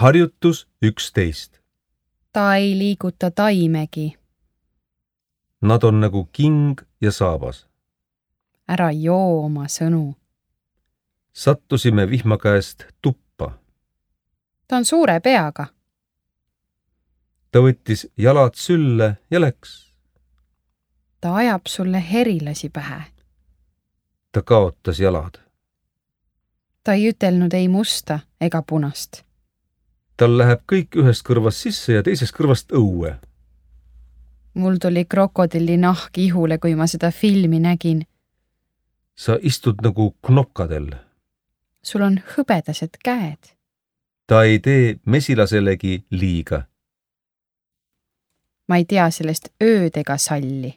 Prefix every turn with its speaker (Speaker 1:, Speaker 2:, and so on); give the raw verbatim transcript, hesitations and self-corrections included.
Speaker 1: Harjutus üksteist.
Speaker 2: Ta ei liiguta taimegi.
Speaker 1: Nad on nagu king ja saabas.
Speaker 2: Ära joo oma sõnu.
Speaker 1: Sattusime vihma käest tuppa.
Speaker 2: Ta on suure peaga.
Speaker 1: Ta võttis jalad sülle ja läks.
Speaker 2: Ta ajab sulle herilasi pähe.
Speaker 1: Ta kaotas jalad.
Speaker 2: Ta ei ütelnud ei musta ega punast.
Speaker 1: Tal läheb kõik ühest kõrvast sisse ja teisest kõrvast õue.
Speaker 2: Mul tuli krokodilli nahk ihule, kui ma seda filmi nägin.
Speaker 1: Sa istud nagu knopkadel.
Speaker 2: Sul on hõbedased käed.
Speaker 1: Ta ei tee mesilaselegi liiga.
Speaker 2: Ma ei tea sellest ööd ega salli.